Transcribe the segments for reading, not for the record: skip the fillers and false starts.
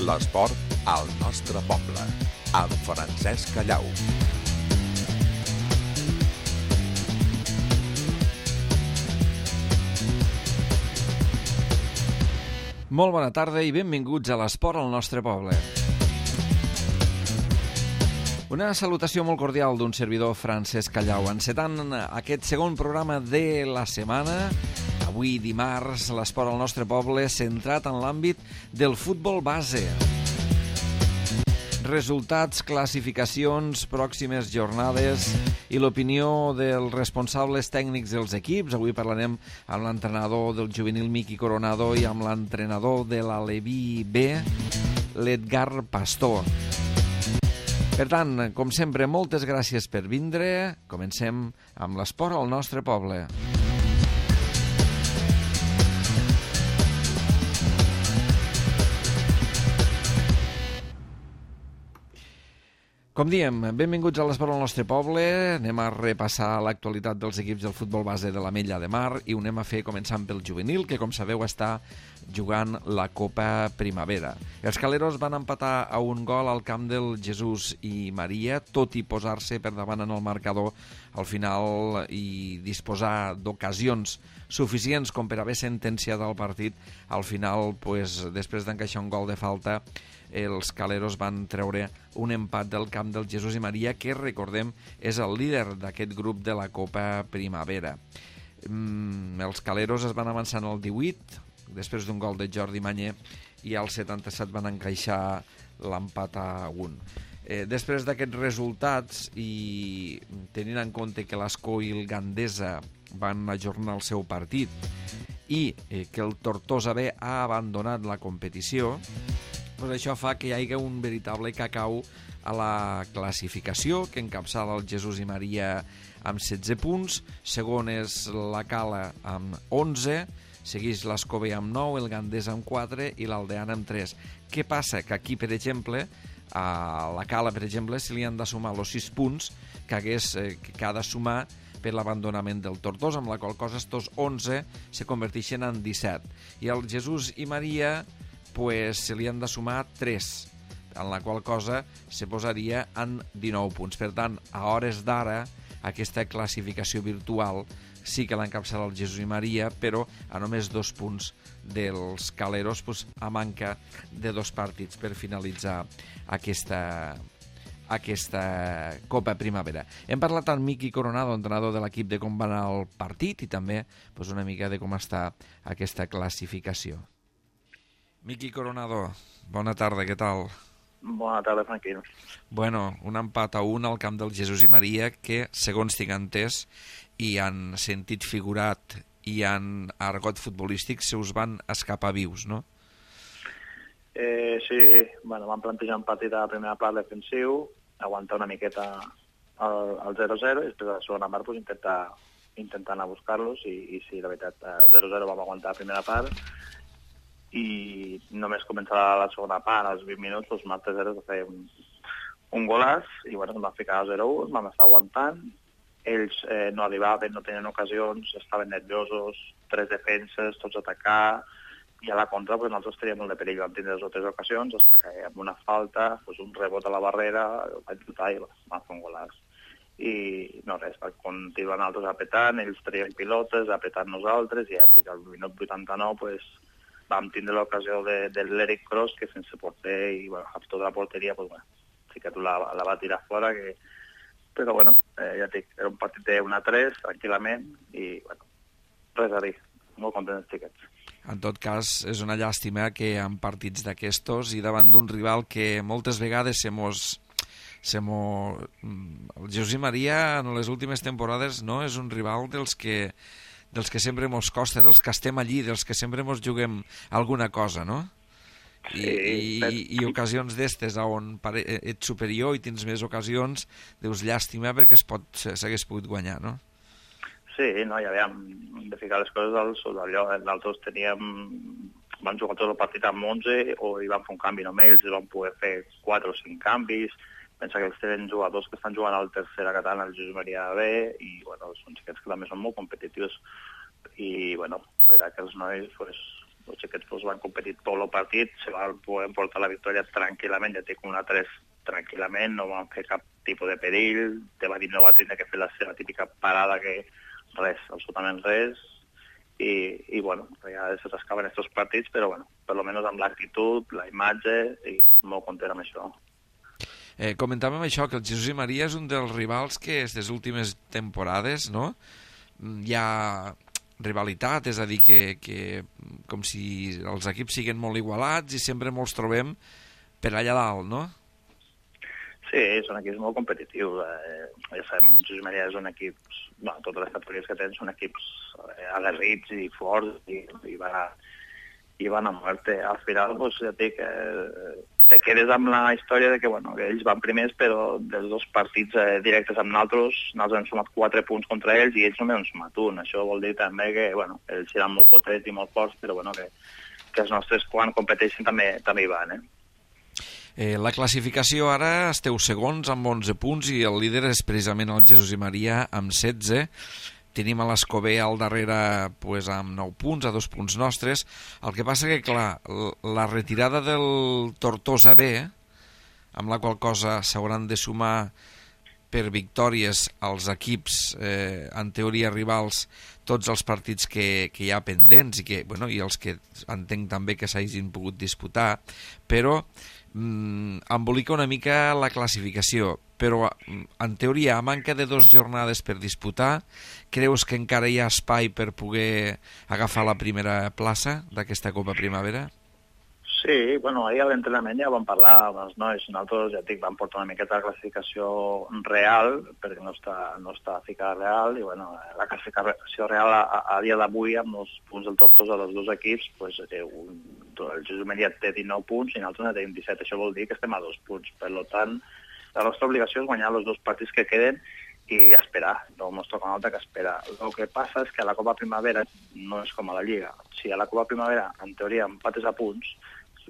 L'esport al nostre poble, amb Francesc Callau. Molt bona tarda i benvinguts a l'esport al nostre poble. Una salutació molt cordial d'un servidor, Francesc Callau, encetant aquest segon programa de la setmana. Avui, dimarts, l'esport al nostre poble centrat en l'àmbit del futbol base. Resultats, classificacions, pròximes jornades i l'opinió dels responsables tècnics dels equips. Avui parlarem amb l'entrenador del juvenil Miqui Coronado i amb l'entrenador de l'Aleví B, l'Edgar Pastor. Per tant, com sempre, moltes gràcies per vindre. Comencem amb l'esport al nostre poble. Com diem, benvinguts a l'esport al nostre poble. Anem a repassar l'actualitat dels equips del futbol base de l'Ametlla de Mar i ho anem a fer començant pel juvenil, que com sabeu està jugant la Copa Primavera. Els caleros van empatar a un gol al camp del Jesús i Maria, tot i posar-se per davant en el marcador al final i disposar d'ocasions suficients com per haver sentenciat el partit. Al final, després d'encaixar un gol de falta, els caleros van treure un empat del camp del Jesús i Maria, que, recordem, és el líder d'aquest grup de la Copa Primavera. Els caleros es van avançar al 18, després d'un gol de Jordi Mañé, i al 77 van encaixar l'empat a 1. Després d'aquests resultats, i tenint en compte que l'Ascó i el Gandesa van ajornar el seu partit i que el Tortosa B ha abandonat la competició, doncs això fa que hi hagi un veritable cacau a la classificació, que encapçala el Jesús i Maria amb 16 punts, segon és la Cala amb 11, segueix l'Escobé amb 9, el Gandesa amb 4 i l'Aldeana amb 3. Què passa? Que aquí, per exemple, a la Cala, per exemple, se li han de sumar els 6 punts que ha de sumar per l'abandonament del Tortosa, amb la qual cosa estos 11 se converteixen en 17. I el Jesús i Maria se li han de sumar 3, en la qual cosa se posaria en 19 punts. Per tant, a hores d'ara, aquesta classificació virtual sí que l'encapçala el Jesús i Maria, però a només 2 punts dels caleros, a manca de 2 partits per finalitzar aquesta Copa Primavera. Hem parlat amb Miqui Coronado, entrenador de l'equip, de com va anar el partit i també una mica de com està aquesta classificació. Miqui Coronado, bona tarda, què tal? Bona tarda, tranquil. Bueno, un empat a 1 al camp del Jesús i Maria que, segons tinc entès, i en sentit figurat i en argot futbolístic, se us van escapar vius, no? Sí, vam plantejar un partit a la primera part defensiu, aguantar una miqueta el 0-0 i després a la segona part intentar anar a buscar-los i sí, la veritat, 0-0 vam aguantar la primera part i només començar la segona part, als 20 minuts, Marc 3-0 va fer un golàs i ens vam ficar a 0-1, vam estar aguantant. Ells no arribaven, no tenien ocasions, estaven nerviosos, 3 defenses, tots a atacar, i a la contra nosaltres teníem molt de perill, vam tindre 2 o 3 ocasions, amb una falta, un rebot a la barrera, el vaig xutar i vam fer un golàs. I no res, continuar nosaltres apretant, ells traien pilotes, apretant nosaltres, i al minut 89 vam tindre l'ocasió de l'Eric Cross, que sense porter i amb tota la porteria, sí que tu la va tirar fora, però ja et dic, era un partit de 1-3, tranquil·lament, i res a dir, molt contents els xiquets. En tot cas, és una llàstima que en partits d'aquestos i davant d'un rival que moltes vegades el Jesús i Maria en les últimes temporades no és un rival dels que sempre mos costa, dels que estem allí, dels que sempre mos juguem alguna cosa, no? I ocasions d'estes on ets superior i tens més ocasions, dius llàstima perquè s'hagués pogut guanyar, no? Sí, no, ja veiem, de ficar les coses al sud d'allò. Nosaltres vam jugar tot el partit amb 11 o hi vam fer un canvi només, ells vam poder fer 4 o 5 canvis. Pensa que ells tenen jugadors que estan jugant al tercera catalana, el Jesús Maria B, i són xiquets que també són molt competitius. I, la veritat que els nois els xiquets pues, van competir tot el partit, se van poder portar la victòria tranquil·lament, ja té com una 3 tranquil·lament, no van fer cap tipus de perill, no va tindre que fer la seva típica parada que res, absolutament res, i bueno, ja se s'escaven estos partits, però bueno, per lo menos amb l'actitud, la imatge, i molt content amb això. Comentàvem això, que el Jesús i Maria és un dels rivals que aquestes últimes temporades, no?, hi ha rivalitat, és a dir, que com si els equips siguin molt igualats i sempre ens trobem per allà dalt, no? Sí, són equips molt competitius. Ja sabem, el Jesús i Maria és un equip, bueno, totes les categories que tenen són equips aguerrits i forts i van a muerte. Al final, pues, ja dic, te quedes amb la història de que, bueno, que ells van primers, però dels 2 partits directes amb nosaltres hem sumat 4 punts contra ells i ells només han sumat 1. Això vol dir també que, bueno, ells seran molt potents i molt forts, però bueno, que els nostres quan competeixen també hi van, La classificació ara esteu segons amb 11 punts i el líder és precisament el Jesús i Maria amb 16. Tenim a l'Escobé al darrere pues, amb 9 punts, a 2 punts nostres. El que passa que, clar, la retirada del Tortosa B, amb la qual cosa s'hauran de sumar per victòries als equips, en teoria rivals, tots els partits que hi ha pendents i els que entenc també que s'hagin pogut disputar, però embolica una mica la classificació, però en teoria, a manca de 2 jornades per disputar, creus que encara hi ha espai per poder agafar la primera plaça d'aquesta Copa Primavera? Sí, bueno, ahir a l'entrenament ja vam parlar amb els nois, nosaltres ja et dic, vam portar una miqueta de classificació real, perquè no està ficada real, i bueno, la classificació real a dia d'avui, amb els punts del Tortosa dels 2 equips, pues, el Jesús Maria té 19 punts i nosaltres en tenim 17, això vol dir que estem a 2 punts, per tant, la nostra obligació és guanyar els 2 partits que queden i esperar, no ens toca una altra que esperar. El que passa és que a la Copa Primavera no és com a la Lliga. Si a la Copa Primavera, en teoria, empates a punts,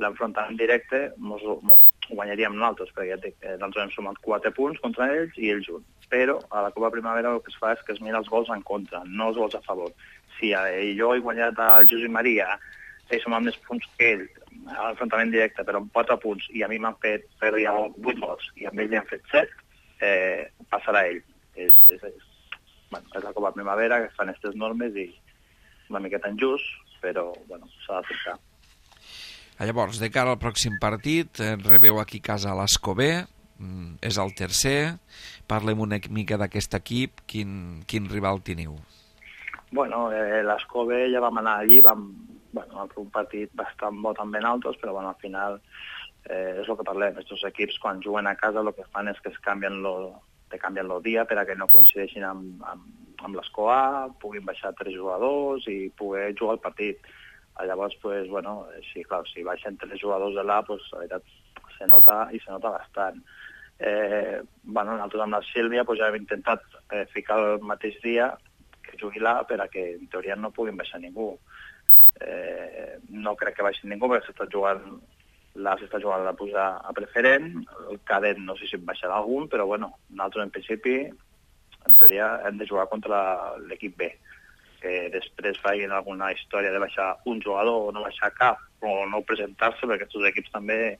l'enfrontament directe guanyaríem nosaltres, perquè ja dic, nosaltres hem sumat 4 punts contra ells i ells 1. Però a la Copa Primavera el que es fa és que es mira els gols en contra, no els gols a favor. Si jo he guanyat al Jesús i Maria, he sumat més punts que ell, a l'enfrontament directe, però amb 4 punts, i a mi m'han fet 8 gols, i amb ell li han fet 7, passarà ell. És la Copa Primavera, que fan aquestes normes i una miqueta injust, però bueno, s'ha d'acceptar. Llavors, de cara al pròxim partit, rebeu aquí a casa l'Escobé, és el tercer. Parlem una mica d'aquest equip, quin rival teniu? Bueno, l'Escobé ja vam anar allí, vam fer un partit bastant bo també en altres, però bueno, al final és el que parlem, aquests equips quan juguen a casa el que fan és que es canvien el dia per a que no coincideixin amb l'Esco A, puguin baixar 3 jugadors i poder jugar el partit. Llavors, pues, bueno, sí, clar, si baixen 3 jugadors de l'A, pues, la veritat, se nota bastant. Nosaltres amb la Sílvia pues, ja hem intentat ficar el mateix dia que jugui l'A per a que en teoria no puguin baixar ningú. No crec que baixi ningú perquè l'A s'està jugant a pujar a preferent, el cadet no sé si en baixarà algun, però bueno, nosaltres en principi, en teoria, hem de jugar contra l'equip B. Que després facin alguna història de baixar un jugador o no baixar cap, o no presentar-se, perquè aquests equips també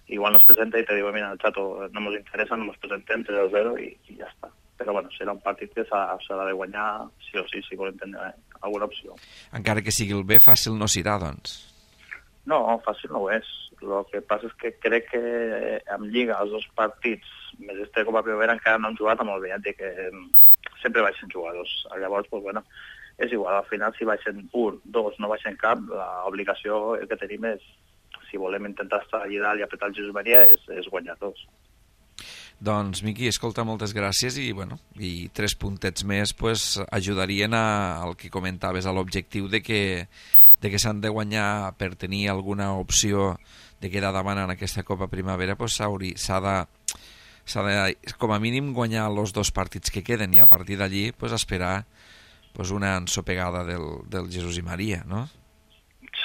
igual no es presenta i te diuen, mira, el xato no ens interessa, no ens presentem 3-0 i ja està. Però bueno, serà un partit que s'ha de guanyar sí o sí, si volem tenir alguna opció. Encara que sigui el B, fàcil no serà, doncs. No, fàcil no ho és. El que passa és que crec que en Lliga els 2 partits més este Copa Primavera encara no han jugat amb el B, que sempre baixen jugadors. Llavors, pues, bueno, és igual, al final si baixen 1, 2, no baixen cap, l'obligació que tenim és, si volem intentar estar allà dalt i apretar el Jesús Maria, és guanyar 2. Doncs, Miqui, escolta, moltes gràcies i 3 puntets més pues, ajudarien al que comentaves, a l'objectiu de que s'han de guanyar per tenir alguna opció de quedar davant en aquesta Copa Primavera, pues, s'ha de, com a mínim, guanyar els 2 partits que queden i a partir d'allí pues, esperar pues, una ensopegada del Jesús i Maria, no?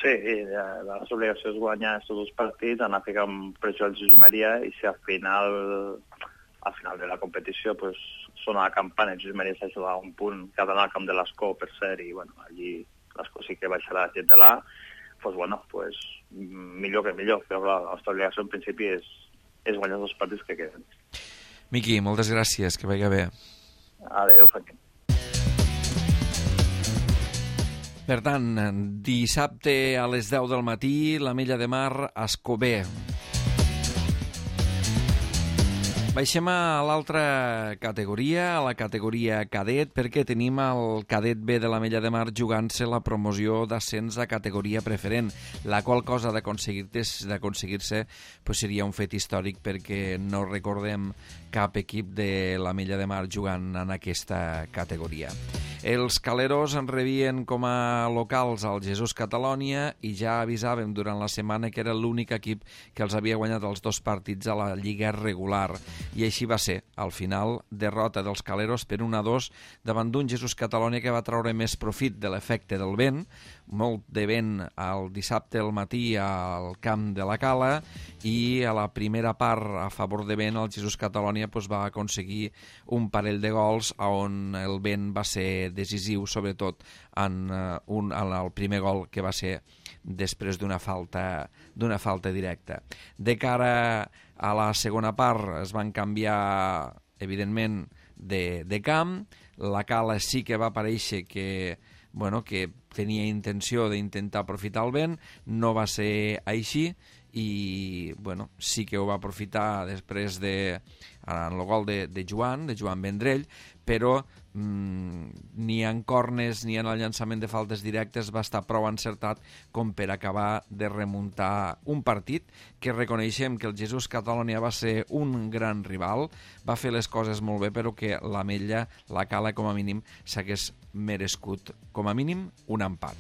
Sí, la nostra obligació és guanyar aquests 2 partits, anar a ficar un pressió al Jesús i Maria i si al final de la competició pues, sona la campana, el Jesús i Maria s'ha jugat un punt, que ha d'anar al camp de l'Escó, per cert, i bueno, allí l'Escó sí que baixarà la gent de l'A, millor que millor. Però la nostra obligació en principi és guanyar els partits que queden. Miqui, moltes gràcies, que vagi bé. Adéu, Franquín. Per tant, dissabte a les 10 del matí, l'Ametlla de Mar, Escober. Baixem a l'altra categoria, a la categoria cadet, perquè tenim el cadet B de l'Ametlla de Mar jugant-se la promoció d'ascens a categoria preferent, la qual cosa d'aconseguir-se seria un fet històric, perquè no recordem cap equip de l'Ametlla de Mar jugant en aquesta categoria. Els caleros en rebien com a locals al Jesús Catalònia i ja avisàvem durant la setmana que era l'únic equip que els havia guanyat els 2 partits a la Lliga regular. I així va ser. Al final, derrota dels caleros per 1-2 davant d'un Jesús Catalònia que va treure més profit de l'efecte del vent, molt de vent el dissabte al matí al camp de la Cala, i a la primera part a favor de vent el Jesús Catalònia va aconseguir un parell de gols on el vent va ser decisiu, sobretot en el primer gol, que va ser després d'una falta directa. De cara a la segona part es van canviar, evidentment, de camp. La Cala sí que va aparèixer que tenia intenció d'intentar aprofitar el vent, no va ser així, i sí que ho va aprofitar després en el gol de Joan Vendrell, però ni en corners ni en el llançament de faltes directes va estar prou encertat com per acabar de remuntar un partit que reconeixem que el Jesús Catalònia va ser un gran rival, va fer les coses molt bé, però que l'Ametlla, la Cala, com a mínim s'hagués merescut com a mínim un empat.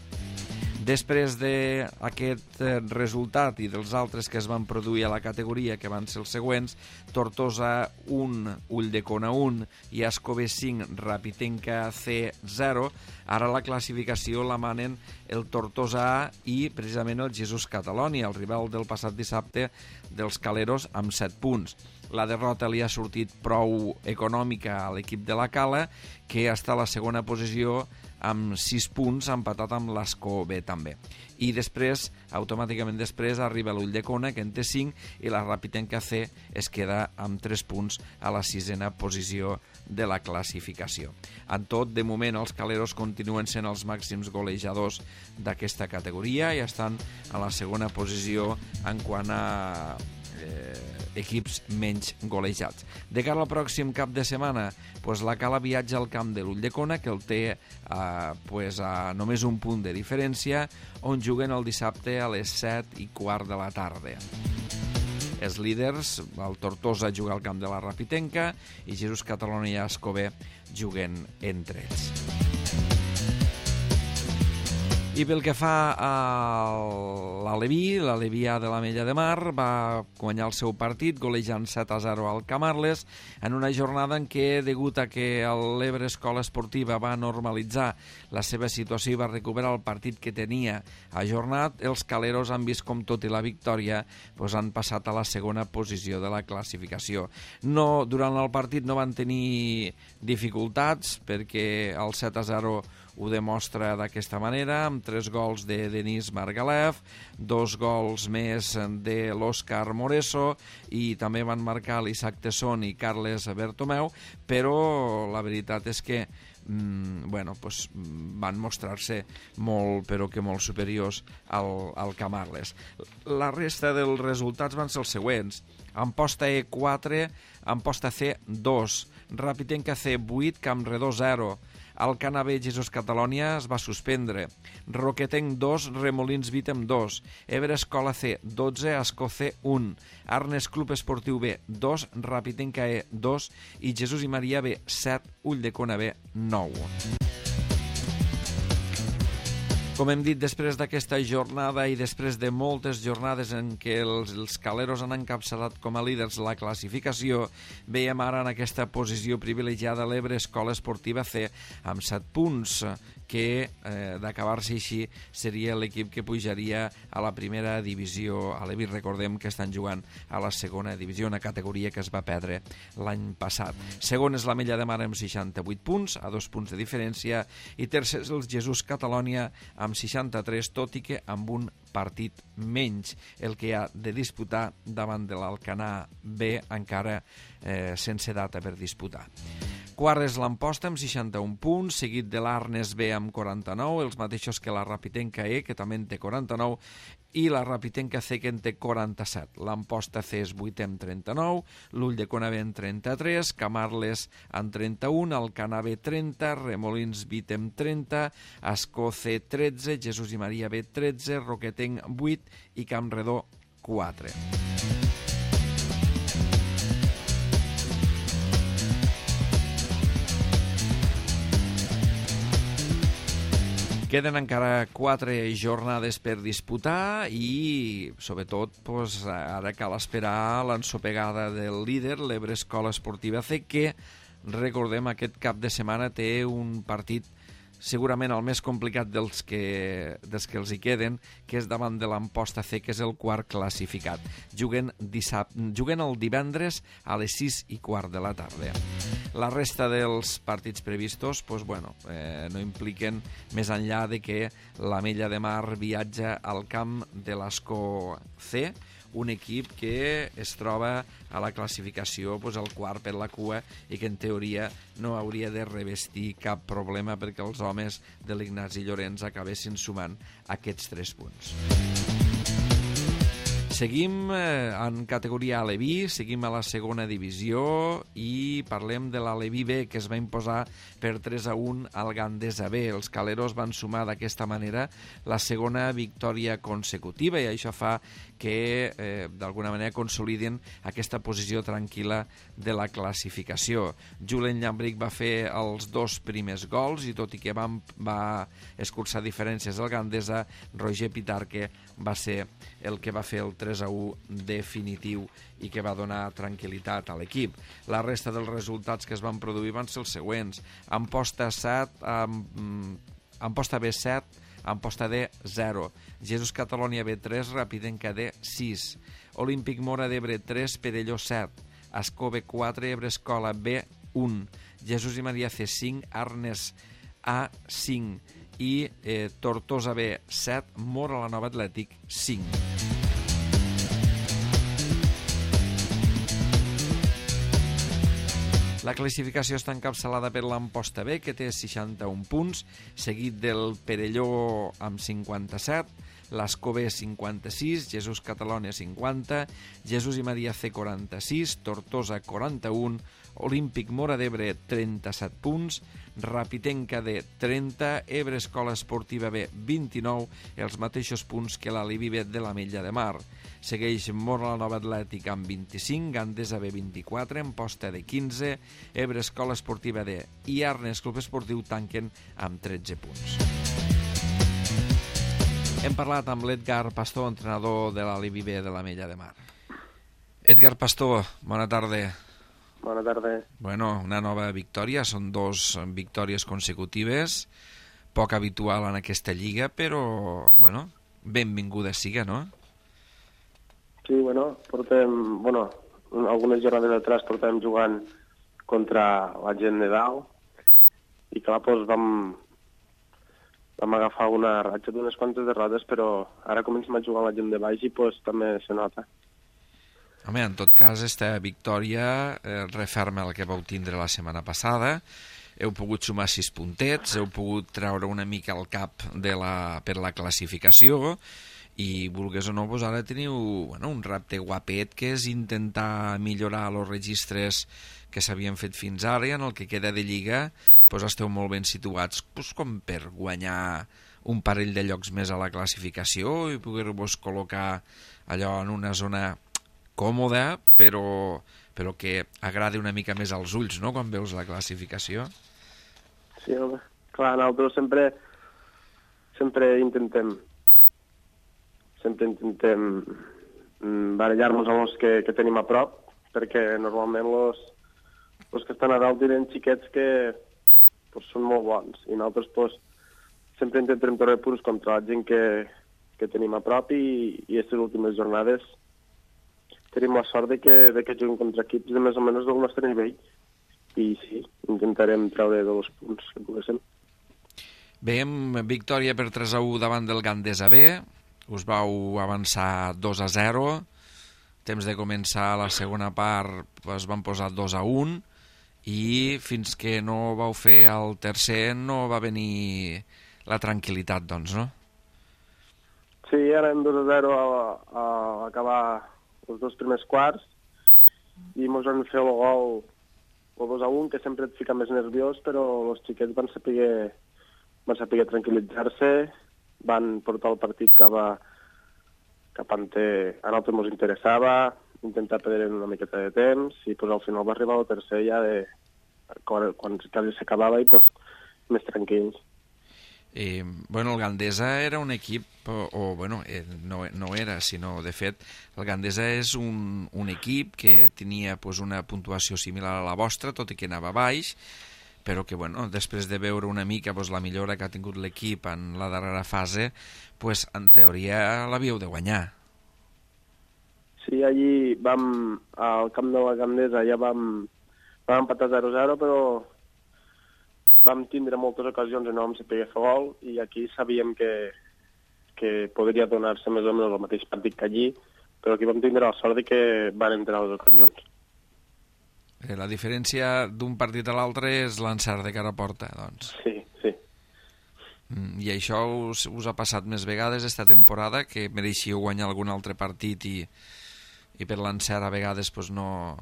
Després d'aquest resultat i dels altres que es van produir a la categoria, que van ser els següents: Tortosa 1, Ulldecona 1 i Escober 5, Rapitenca C 0, ara la classificació la manen el Tortosa A i precisament el Jesús Catalònia, el rival del passat dissabte dels caleros, amb 7 punts. La derrota li ha sortit prou econòmica a l'equip de la Cala, que està a la segona posició amb 6 punts, empatat amb l'Esco B també. I després, automàticament després, arriba l'Ulldecona, que en té 5, i la Rapitenca C es queda amb 3 punts a la 6a posició de la classificació. En tot, de moment, els caleros continuen sent els màxims golejadors d'aquesta categoria i estan a la segona posició en quant a equips menys golejats. De cara al pròxim cap de setmana, la Cala viatja al camp de l'Ulldecona, que el té a només un punt de diferència, on juguen el dissabte a les 7:15 de la tarda. Els líders, el Tortosa juga al camp de la Rapitenca i Jesús Catalònia i Escober juguen entre ells. I pel que fa a l'Aleví, l'Alevià de l'Ametlla de Mar va guanyar el seu partit golejant 7-0 al Camarles en una jornada en què, degut a que l'Ebre Escola Esportiva va normalitzar la seva situació i va recuperar el partit que tenia ajornat, els caleros han vist com, tot i la victòria, han passat a la segona posició de la classificació. Durant el partit no van tenir dificultats, perquè el 7-0 ho demostra d'aquesta manera, amb 3 gols de Denis Margalef, 2 gols més de l'Òscar Moreso, i també van marcar l'Isaac Tesson i Carles Bertomeu, però la veritat és que van mostrar-se molt, però que molt superiors al Camarles. La resta dels resultats van ser els següents: Amposta E 4, Amposta C 2, Rapitenca C 8, Campredó 0, Alcana B Jesús Catalònia es va suspendre, Roquetenc 2, Remolins Vítem 2, Ebre Escola C 12, Esco C 1, Arnes Club Esportiu B 2, Rapitenca E 2 i Jesús i Maria B 7, Ulldecona B 9. Com hem dit, després d'aquesta jornada i després de moltes jornades en què els caleros han encapçalat com a líders la classificació, veiem ara en aquesta posició privilegiada l'Ebre Escola Esportiva C amb 7 punts, que d'acabar-se així seria l'equip que pujaria a la primera divisió. A l'Ebre recordem que estan jugant a la segona divisió, una categoria que es va perdre l'any passat. Segon és l'Ametlla de Mar amb 68 punts, a 2 punts de diferència, i tercer és el Jesús Catalònia amb 63, tot i que amb un partit menys, el que ha de disputar davant de l'Alcanar B, encara sense data per disputar. Quart és l'Amposta amb 61 punts, seguit de l'Arnes B amb 49, els mateixos que la Rapitenca E, que també en té 49, i la Rapitenca C, que en té 47. L'Amposta C és 8è amb 39, l'Ull de Conabé en 33, Camarles en 31, Alcanar B 30, Remolins 20 amb 30, Ascó C 13, Jesús i Maria B 13, Roquetenc 8 i Campredó 4. Queden encara 4 jornades per disputar i, sobretot, ara cal esperar l'ensopegada del líder, l'Ebre Escola Esportiva C, que, recordem, aquest cap de setmana té un partit segurament el més complicat dels que els hi queden, que és davant de l'Amposta C, que és el quart classificat. Juguen el divendres a les 6:15 de la tarda. La resta dels partits previstos no impliquen més enllà de que l'Ametlla de Mar viatja al camp de l'Ascó C, un equip que es troba a la classificació el quart per la cua i que en teoria no hauria de revestir cap problema perquè els homes de l'Ignasi Llorenç acabessin sumant aquests 3 punts. Seguim en categoria Aleví, seguim a la segona divisió i parlem de l'Aleví B, que es va imposar per 3-1 al Gandesa B. Els caleros van sumar d'aquesta manera la segona victòria consecutiva i això fa que d'alguna manera consoliden aquesta posició tranquil·la de la classificació. Julen Llambric va fer els 2 primers gols i tot i que va escurçar diferències al Gandesa, Roger Pitarque va ser el que va fer el 3-1 definitiu i que va donar tranquil·litat a l'equip. La resta dels resultats que es van produir van ser els següents. Amposta B 7, Amposta D 0, Jesús Catalònia B 3, Rapidenca D 6, Olímpic Mora d'Ebre 3, Perelló 7, Ascó B 4, Ebre Escola B 1, Jesús i Maria C 5, Arnes A 5 i Tortosa B 7, Mora la Nova Atlètic 5. La classificació està encapçalada per l'Amposta B, que té 61 punts, seguit del Perelló amb 57, l'Ascó B 56, Jesús Catalònia 50, Jesús i Maria C 46, Tortosa 41, Olímpic Mora d'Ebre 37 punts, Rapitenca D 30, Ebre Escola Esportiva B 29, els mateixos punts que l'Aleví B de l'Ametlla de Mar. Segueix Mora la Nova Atlètic amb 25, Gandesa B 24, Amposta D 15, Ebre Escola Esportiva D i Arnes Club Esportiu tanquen amb 13 punts. Hem parlat amb l'Edgar Pastor, entrenador de l'Aleví B de l'Ametlla de Mar. Edgar Pastor, bona tarda. Bona tarda. Bueno, una nova victòria, són 2 victòries consecutives, poc habitual en aquesta lliga, però, benvinguda siga, no? Sí, portem, algunes jornades atrás portem jugant contra la gent de dalt i clar, vam agafar una ratxa d'unes quantes derrotes, però ara comencem a jugar amb la gent de baix i també se nota. Home, en tot cas, esta victòria referma el que vau tindre la setmana passada. Heu pogut sumar 6 puntets, heu pogut treure una mica el cap per la classificació i, vulgues o no, ara teniu un repte guapet, que és intentar millorar els registres que s'havien fet fins ara i en el que queda de lliga esteu molt ben situats com per guanyar un parell de llocs més a la classificació i poder-vos col·locar allò en una zona còmoda, però que agradi una mica més als ulls, no?, quan veus la classificació. Sí, home. Clar, nosaltres sempre intentem barallar-nos amb els que tenim a prop, perquè normalment els que estan a dalt tenen xiquets que són molt bons, i nosaltres sempre intentem treure punts contra la gent que tenim a prop i aquestes últimes jornades tenim la sort de que juguem contra equips de més o menys del nostre nivell i sí, intentarem treure 2 punts que poguéssim. Veiem victòria per 3-1 davant del Gandesa B, us vau avançar 2-0, temps de començar la segona part es van posar 2-1 i fins que no vau fer el tercer no va venir la tranquil·litat, doncs, no? Sí, érem 2-0 a acabar els dos primers quarts i mos van fer el gol el 2-1, que sempre et fica més nerviós, però els xiquets van saber tranquil·litzar-se, van portar el partit cap a on a nosaltres ens interessava, intentar perdre una miqueta de temps, i pues, al final va arribar el tercer ja quan quasi s'acabava i pues, més tranquils. Bueno, el Gandesa era un equip, no era, sinó, de fet, el Gandesa és un equip que tenia pues, una puntuació similar a la vostra, tot i que anava baix, però que, bueno, després de veure una mica pues, la millora que ha tingut l'equip en la darrera fase, pues, en teoria l'havíeu de guanyar. Sí, allí al camp de la Gandesa ja vam empatar 0-0, però vam tindre moltes ocasions i no vam saber fer gol, i aquí sabíem que podria donar-se més o menys el mateix partit que allí, però aquí vam tindre la sort de que van entrar les ocasions. La diferència d'un partit a l'altre és l'encert de cara a porta, doncs. Sí, sí. I això us ha passat més vegades esta temporada, que mereixíeu guanyar algun altre partit i per l'encert a vegades pues, no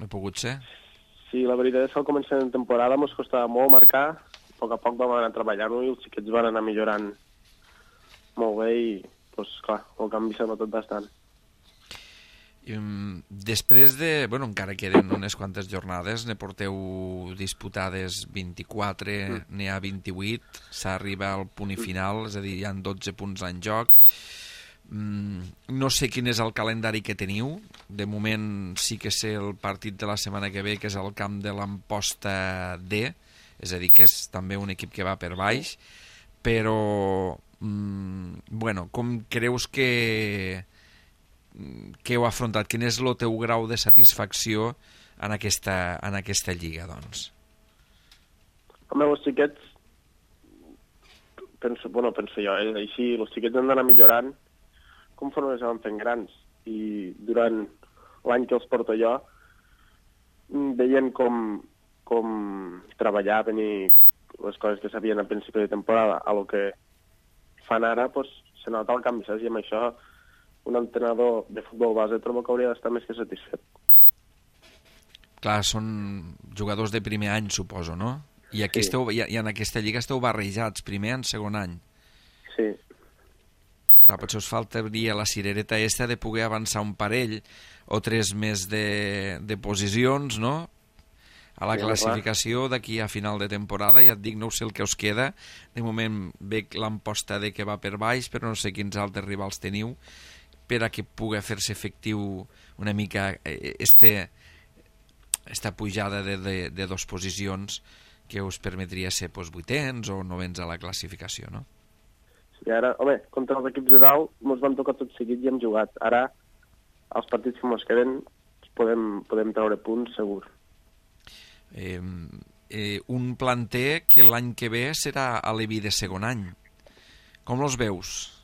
he pogut ser? Sí, la veritat és que al començament de temporada ens costava molt marcar, a poc vam anar treballant-ho i els xiquets van anar millorant molt bé i, doncs, clar, el canvi s'ha notat bastant. Després de... Bueno, encara queden unes quantes jornades, ne porteu disputades 24, n'hi ha 28, s'arriba al punt i final, és a dir, hi ha 12 punts en joc. No sé quin és el calendari que teniu. De moment sí que sé el partit de la setmana que ve, que és al camp de l'Amposta D, és a dir, que és també un equip que va per baix, però bueno, com creus que heu afrontat? Quin és el teu grau de satisfacció en aquesta lliga, doncs? Home, els xiquets penso jo, així, els xiquets han d'anar millorant conforme se van fent grans, i durant l'any que els porto jo veient com treballar, venir les coses que sabien a principi de temporada a lo que fan ara, pues, se nota el canvi, saps? I amb això un entrenador de futbol base trobo que hauria d'estar més que satisfet. Clar, són jugadors de primer any, suposo, no? I aquí sí. I en aquesta lliga esteu barrejats, primer en segon any. Sí. Clar, potser us faltaria la cirereta esta de poder avançar un parell o tres més de posicions, no?, a la classificació d'aquí a final de temporada. Ja et dic, no sé el que us queda. De moment veig l'Amposta de que va per baix, però no sé quins altres rivals teniu per a que pugui fer-se efectiu una mica esta pujada de dos posicions que us permetria ser vuitens o novens a la classificació, no? I ara, home, contra els equips de dalt ens van tocar tot seguit i hem jugat. Ara, els partits que ens queden podem treure punts, segur. Un planter que l'any que ve serà a l'Evi de segon any. Com els veus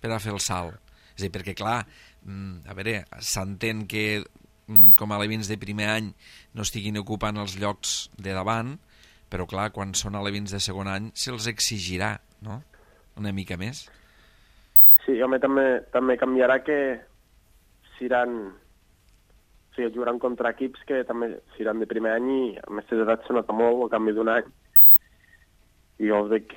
per a fer el salt? És a dir, perquè clar, a veure, s'entén que com a alevins de primer any no estiguin ocupant els llocs de davant, però clar, quan són alevins de segon any se'ls exigirà, no?, una mica més. Sí, home, també canviarà que jugaran contra equips que també seran de primer any i a més d'edat se nota molt el canvi d'un any. I jo veig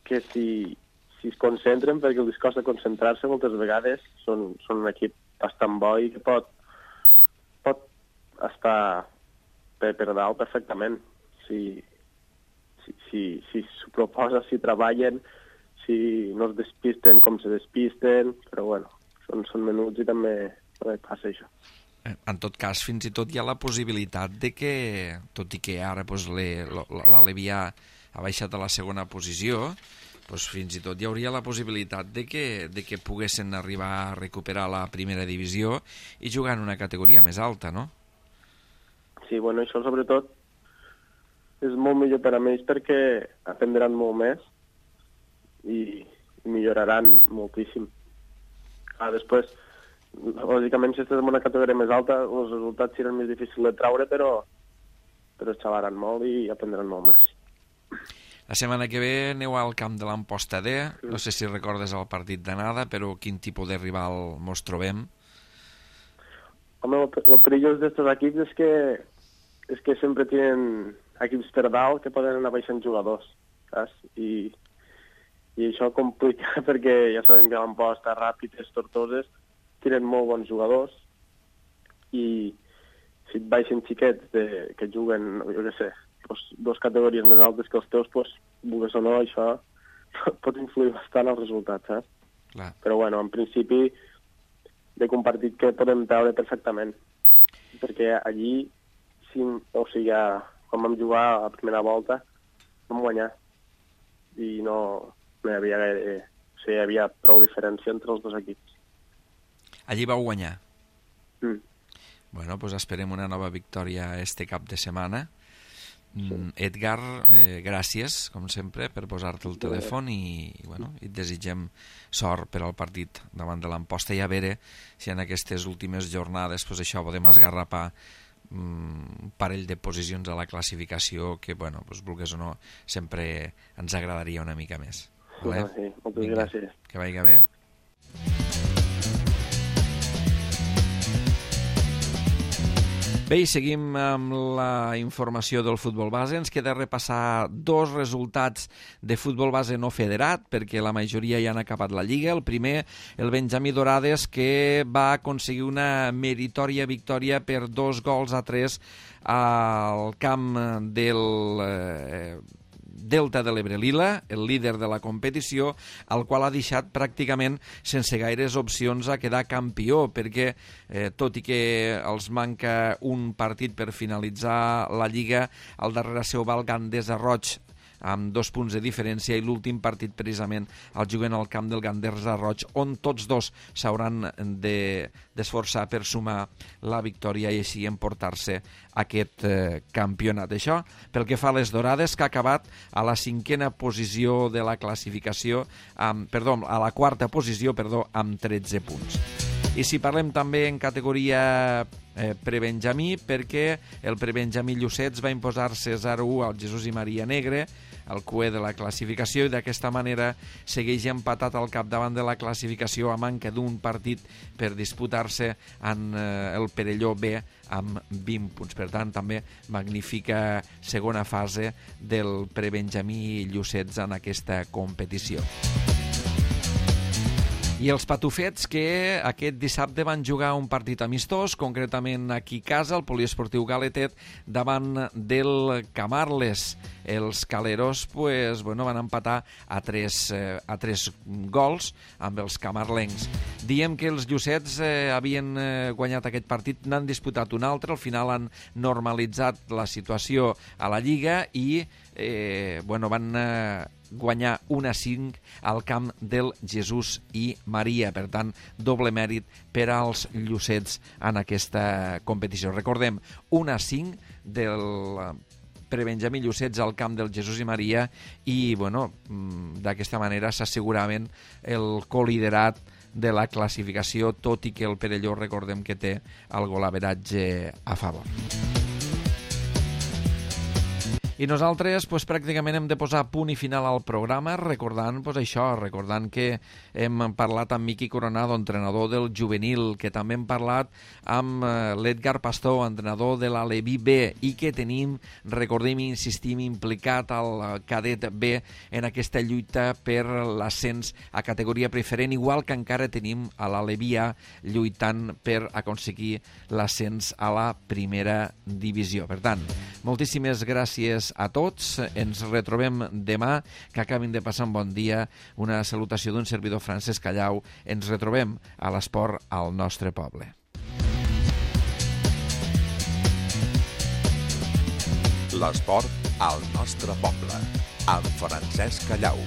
que si es concentren, perquè els costa concentrar-se moltes vegades, són un equip bastant bo i que pot estar per dalt perfectament. Si s'ho proposa, si treballen, si no es despisten com se despisten, però bueno, són menuts i també passa això. En tot cas, fins i tot hi ha la possibilitat de que, tot i que ara l'Alevià ha baixat a la segona posició, doncs fins i tot hi hauria la possibilitat de que poguessin arribar a recuperar la primera divisió i jugar en una categoria més alta, no? Sí, bueno, això sobretot és molt millor per a ells perquè aprendran molt més i milloraran moltíssim. Després, lògicament, si estàs en una categoria més alta, els resultats seran més difícils de traure, però xalaran molt i aprendran molt més. La setmana que ve aneu al camp de l'Amposta D. No sé si recordes el partit d'anada, però quin tipus de rival mos trobem? Home, lo perillós d'estos equips és que sempre tenen equips per dalt que poden anar baixant jugadors, saps? I això complica perquè ja sabem que l'Amposta, Ràpides, Tortoses, tenen molt bons jugadors i si et baixen xiquets que juguen, jo què sé, dos categories més altes que els teus, vulguis o no, això pot influir bastant als resultats, saps? Clar. Però bueno, en principi, de compartit que podem treure perfectament. Perquè allí, quan vam jugar a la primera volta, vam guanyar. I no hi havia gaire... O sigui, hi havia prou diferència entre els dos equips. Allí vau guanyar? Mm. Doncs esperem una nova victòria este cap de setmana. Sí. Edgar, gràcies, com sempre, per posar-te el telèfon i et desitgem sort per al partit davant de l'Amposta i a veure si en aquestes últimes jornades això podem esgarrapar un parell de posicions a la classificació que, vulguis o no, sempre ens agradaria una mica més. Vale? Sí, moltes gràcies. Que vagi bé. Bé, i seguim amb la informació del futbol base. Ens queda repassar dos resultats de futbol base no federat, perquè la majoria ja han acabat la Lliga. El primer, el Benjamí Dorades, que va aconseguir una meritòria victòria per 2-3 al camp del Delta de l'Ebre Lila, el líder de la competició, al qual ha deixat pràcticament sense gaires opcions a quedar campió, perquè tot i que els manca un partit per finalitzar la Lliga, al darrere seu va el Gandesa Roig, amb 2 punts de diferència, i l'últim partit precisament el juguen al camp del Gandesa Roig, on tots dos s'hauran d'esforçar per sumar la victòria i així emportar-se aquest campionat. Això pel que fa a les Dorades, que ha acabat a la 5a posició de la classificació, a la 4a posició, amb 13 punts. I si parlem també en categoria prebenjamí, perquè el prebenjamí Llucets va imposar-se 0-1 al Jesús i Maria Negre, el cué de la classificació, i d'aquesta manera segueix empatat al capdavant de la classificació a manca d'un partit per disputar-se en el Perelló B amb 20 punts. Per tant, també magnífica segona fase del prebenjamí Llucets en aquesta competició. I els patufets, que aquest dissabte van jugar un partit amistós, concretament aquí a casa, el Poliesportiu Galetet, davant del Camarles. Els caleros van empatar a 3 gols amb els camarlencs. Diem que els llucets havien guanyat aquest partit, n'han disputat un altre, al final han normalitzat la situació a la Lliga i van guanyar 1-5 al camp del Jesús i Maria. Per tant, doble mèrit per als llucets en aquesta competició. Recordem, 1-5 del prebenjamí Llucets al camp del Jesús i Maria i, d'aquesta manera s'asseguraven el coliderat de la classificació, tot i que el Perelló, recordem que té el golaveratge a favor. I nosaltres pràcticament hem de posar punt i final al programa recordant que hem parlat amb Miqui Coronado, entrenador del juvenil, que també hem parlat amb l'Edgar Pastor, entrenador de l'Aleví B, i que tenim, recordem i insistim, implicat al cadet B en aquesta lluita per l'ascens a categoria preferent, igual que encara tenim a l'Aleví A lluitant per aconseguir l'ascens a la primera divisió. Per tant, moltíssimes gràcies a tots, ens retrobem demà, que acabin de passar un bon dia. Una salutació d'un servidor, Francesc Callau. Ens retrobem a l'esport al nostre poble. L'esport al nostre poble, amb Francesc Callau.